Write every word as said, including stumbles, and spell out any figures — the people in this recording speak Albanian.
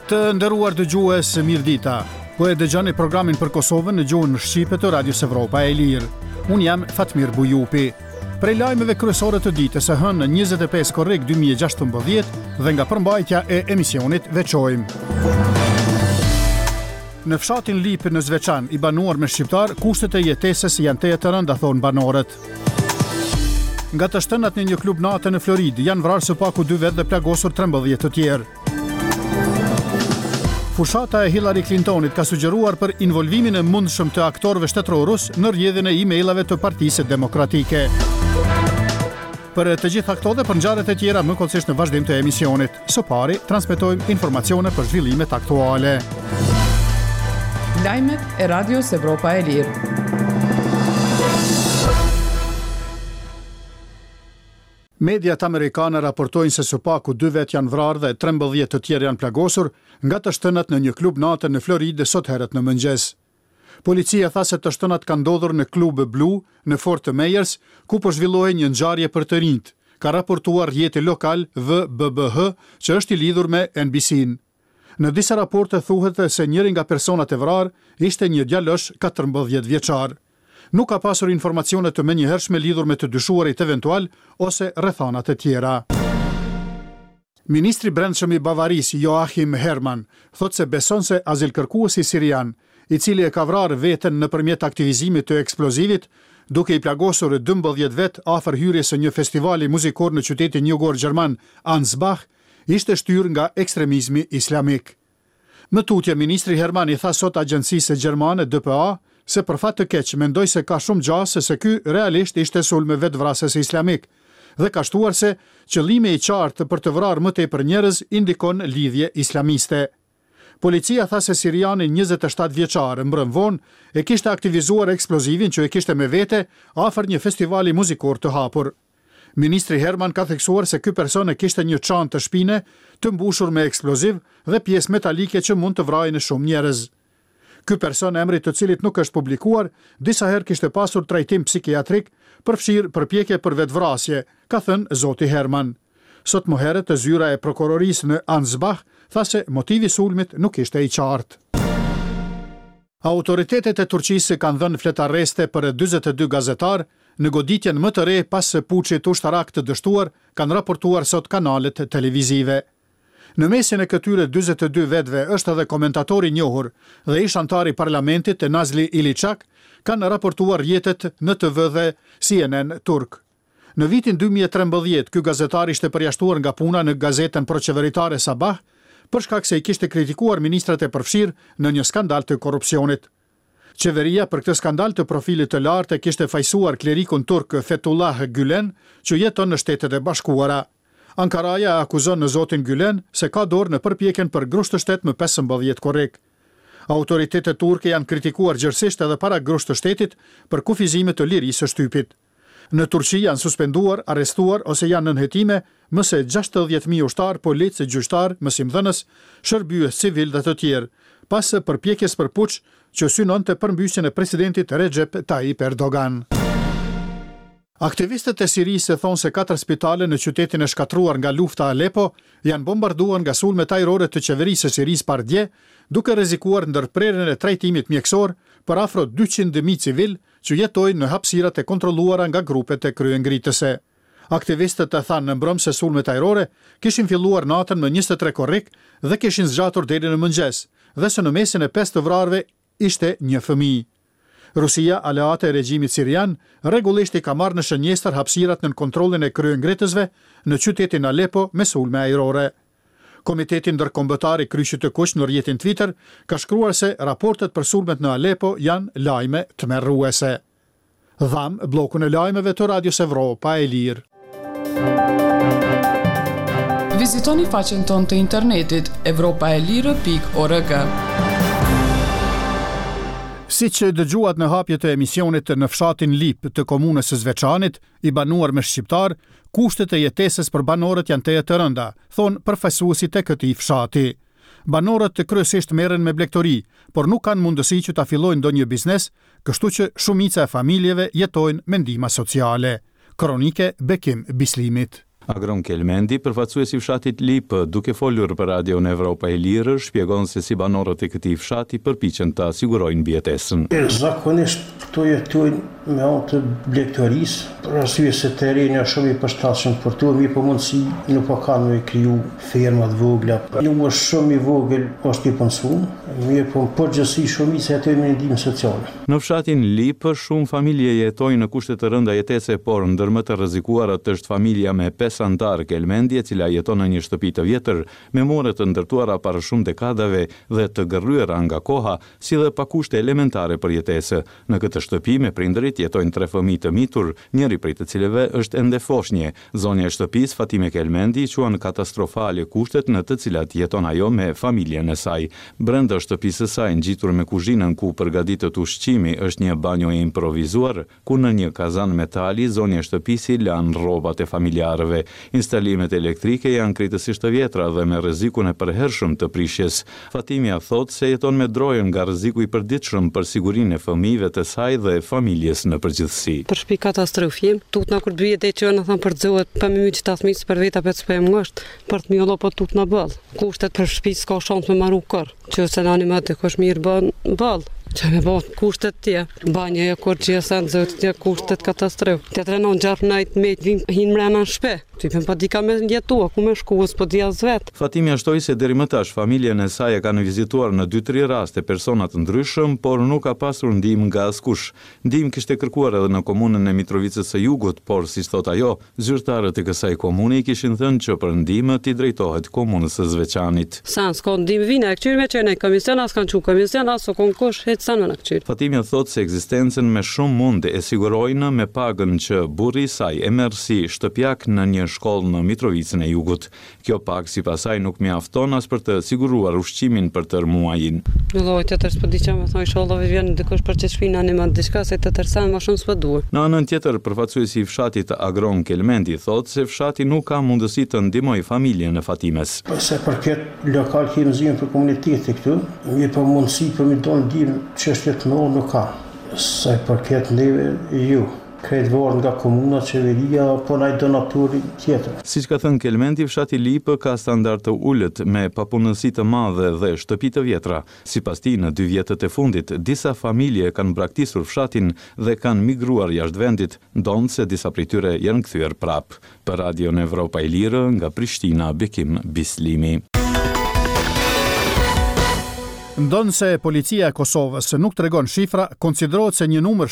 Të nderuar dëgjues, mirëdita. Po e dëgjoni programin për Kosovën në gjuhën shqipe të Radios Evropa e Lirë. Unë jam Fatmir Bujupi. Prej lajmeve kryesore të ditës së hënë njëzet e pesë korrik dy mijë e gjashtëmbëdhjetë dhe nga përmbajtja e emisionit veçojmë. Në fshatin Lipë në Zveçan, i banuar me shqiptar, kushtet e jetesës janë tejet të rënda, thonë banorët. Nga të shtënat në një klub nate në Floridë, janë vrarë së paku dy vetë dhe plagosur trembëdhjetë të tjerë. Fushata e Hillary Clintonit ka sugjeruar për involvimin e mundshëm të aktorëve shtetëror rus në rrjedhjen e e-mailave të Partisë Demokratike. Për të gjitha këto dhe për ngjarjet e tjera më hollësisht në vazhdim të emisionit. Së pari, transmetojmë informacione për zhvillimet aktuale. Lajmet e Radios Evropa e Lirë. Mediat amerikane raportojnë se së paku dy vetë janë vrarë dhe trembëdhjetë të tjerë janë plagosur nga të shtënat në një klub nate në Floridë sot herët në mëngjes. Policia tha se të shtënat kanë ndodhur në Klub Blue në Fort Myers, ku po zhvillohej një ngjarje për të rinjt, ka raportuar rrjeti lokal W B B H, që është i lidhur me N B C-n. Në disa raporte thuhet se njëri nga personat e vrarë ishte një djalosh katërmbëdhjetë vjeçar. Nuk ka pasur informacione të menjëhershme lidhur me të dyshuarit eventual ose rrethanat e tjera. Ministri brendshëm i Bavarisë, Joachim Herrmann, thotë se beson se azilkërkuesi sirian, i cili e ka vrarë veten nëpërmjet aktivizimit të eksplozivit, duke i plagosur dymbëdhjetë vet afër hyrjes së një festivali muzikor në qytetin jugor gjerman Ansbach, ishte shtyrë nga ekstremizmi islamik. Më tutje, ministri Herrmann i tha sot agjencisë gjermane D P A se për fat të keq mendoj se ka shumë gjasë se ky realisht ishte sulm vetëvrasës islamik dhe ka shtuar se qëllimi i qartë për të vrarë më tepër njerëz indikon lidhje islamiste. Policia tha se siriani njëzet e shtatë vjeçar mbrëm vonë e kishte aktivizuar eksplozivin që e kishte me vete afër një festivali muzikor të hapur. Ministri Herrmann ka theksuar se ky person e kishte një çantë të shpine të mbushur me eksploziv dhe pjesë metalike që mund të vrajnë shumë njerëz. Ky person, emri të cilit nuk është publikuar, disa herë kishte pasur trajtim psikiatrik, përfshirë përpjekje për vetvrasje, ka thënë zoti Herrmann. Sot më herët, zyra e prokurorisë në Ansbach tha se motivi sulmit nuk ishte i qartë. Autoritetet e Turqisë kanë dhënë fletarreste për dyzet e dy gazetar në goditjen më të re pas puçit ushtarak të dështuar, kanë raportuar sot kanalet televizive. Në mesin e këtyre dyzet e dy vetëve është edhe komentatori i njohur dhe ish anëtari i parlamentit Nazli Iliçak, kanë raportuar rrjetet N T V dhe C N N Turk. Në vitin dy mijë e trembëdhjetë, ky gazetar ishte përjashtuar nga puna në gazetën proqeveritare Sabah, për shkak se i kishte kritikuar ministrat e përfshirë në një skandal të korrupsionit. Qeveria për këtë skandal të profilit të lartë e kishte fajsuar klerikun turk Fethullah Gülen, që jeton në Shtetet e Bashkuara. Ankaraja e akuzon në zotin Gülen se ka dorë në përpjekjen për grusht të shtet më pesëmbëdhjetë korrik. Autoritetet turke janë kritikuar gjerësisht edhe para grusht të shtetit për kufizime të lirisë së shtypit. Në Turqi janë suspenduar, arrestuar ose janë nën hetime më se gjashtëdhjetë mijë ushtar, policë, gjyqtar, mësimdhënës, shërbyes civil dhe të tjerë, pas përpjekjes për puç që synonte përmbysjen e presidentit Recep Tayyip Erdogan. Aktivistët e Sirisë thonë se katër spitale në qytetin e shkatërruar nga lufta Aleppo janë bombarduar nga sulmet ajrore të qeverisë së Sirisë pardje, duke rrezikuar ndërprerjen e trajtimit mjekësor për afro dyqind mijë civil që jetojnë në hapësirat e kontrolluara nga grupet e kryengritëse. Aktivistët e thanë në mbrëmë se sulmet ajrore kishin filluar natën më njëzet e tre korrik dhe kishin zgjatur deri në mëngjes, dhe se në mesin e pesë të vrarëve ishte një fëmijë. Rusia, aleate e regjimit sirian, rregullisht i ka marrë në shënjestër hapësirat nën kontrollin e kryengritësve në qytetin Aleppo me sulme ajrore. Komiteti Ndërkombëtar i Kryqit të Kuq në rrjetin Twitter ka shkruar se raportet për sulmet në Aleppo janë lajme tmerruese. Dham bllokun e lajmeve të Radios Evropa e Lirë. Vizitoni faqen tonë të internetit evropaelire pikë org. Si që dëgjuat në hapje të emisionit, në fshatin Lip të komunës së Zveçanit, i banuar me shqiptar, kushtet e jetesës për banorët janë tejet të rënda, thonë përfaqësuesit e këtij fshati. Banorët kryesisht merren me blegtori, por nuk kanë mundësi që ta fillojnë ndonjë biznes, kështu që shumica e familjeve jetojnë me ndihma sociale. Kronike Bekim Bislimit. Agron Kelmendi, përfaqësues i fshatit Lipë, duke folur për Radion Evropa e Lirë, shpjegon se si banorët e këtij fshati përpiqen ta sigurojnë mbijetesën. Zakonisht këto jetojnë me anë të blegtorisë, për arsye se terreni është shumë i përshtatshëm për to, mirë po mundësi nuk po kanë me kriju ferma të vogla. Numër shumë i vogël është i punësuar, mirë po në përgjithësi shumica jetojnë me ndihmë sociale. Në fshatin Lipë, shumë familje jetojnë në kushte të rënda jetese, por ndër më të rrezikuarat është familja me pesë anëtarë Kelmendi, e cila jeton në një shtëpi të vjetër, me mure të ndërtuara para shumë dekadave dhe të gërryera nga koha, si dhe pa kushte elementare për jetesë. Në këtë shtëpi me prindërit jetojnë tre fëmijë të mitur, njëri prej të cilëve është ende foshnje. Zonja e shtëpisë, Fatime Kelmendi, quan katastrofale kushtet në të cilat jeton ajo me familjen e saj. Brenda shtëpisë së saj, ngjitur me kuzhinën ku përgatitet ushqimi, është një banjo e improvizuar, ku në një kazan metali zonja e shtëpisë i lan rrobat e familjarëve. Instalimet elektrike janë krejtësisht të vjetra dhe me rrezikun e përhershëm të prishjes. Fatimja thotë se jeton me drojën nga rreziku i përditshëm për sigurinë e fëmijëve të saj dhe familjes në përgjithësi. Për shtëpi katastrofë jem, tutna kur të bie deri që na thanë përzohet pa më myt qita fëmijë për veta vetë s'po jem ngosht, për të mjollo po tutna boll. Kushtet për shtëpi s'ka shans me maru kurr. Që se nani më dikush mirë bën boll. Që me bo kushtet tje, banjo e kur që sen zot tje kushtet katastrofë. Tjetra non gjarp najt me vin hin mrena në shtëpi. Ty po di ka me jetua, ku me shku, s'po di as vet. Fatimja shtoi se deri më tash familjen e saj e kanë vizituar në dy-tri raste persona të ndryshëm, por nuk ka pasur ndihmë nga askush. Ndihmë kishte kërkuar edhe në komunën e Mitrovicës së Jugut, por siç thot ajo, zyrtarët e kësaj komune i kishin thënë që për ndihmë t'i drejtohet komunës së Zveçanit. Sa s'ka ndihmë vina, e këqyr me qenë komision, as kanë çu komision, as u kon kush, hiç sa më këqyr. Fatimja thotë se ekzistencën me shumë mund e sigurojnë me pagën që burri i saj e merr si shtëpiak në një shkollë në Mitrovicën e Jugut. Kjo pagë sipas saj nuk mjafton as për të siguruar ushqimin për tërë muajin. Në lloj tjetër s'po di çfarë më thonë, inshallah vjen dikush për çet shpinë në diçka se tjetër sa më shumë s'po duhet. Në anën tjetër, përfaqësuesi i fshatit Agron Kelmendi thotë se fshati nuk ka mundësi të ndihmojë familjen e Fatimes. Sa përket lokal kemi zgjidhjen për komunitetin këtu, mirë po mundësi për mi donë ndihmë çështje të mëdha nuk ka. Sa i përket neve, ju krejt varet nga komuna, qeveria, apo ndaj donatori tjetër. Siç ka thënë Kelmendi, fshati Lipë ka standard të ulët me papunësi të madhe dhe shtëpi të vjetra. Sipas tij, në dy vjetët e fundit, disa familje kanë braktisur fshatin dhe kanë migruar jashtë vendit, ndonëse disa prej tyre janë kthyer prapë. Për Radion Evropa e Lirë, nga Prishtina, Bekim Bislimi. Ndonëse policia e Kosovës nuk tregon shifra, konsiderohet se një numër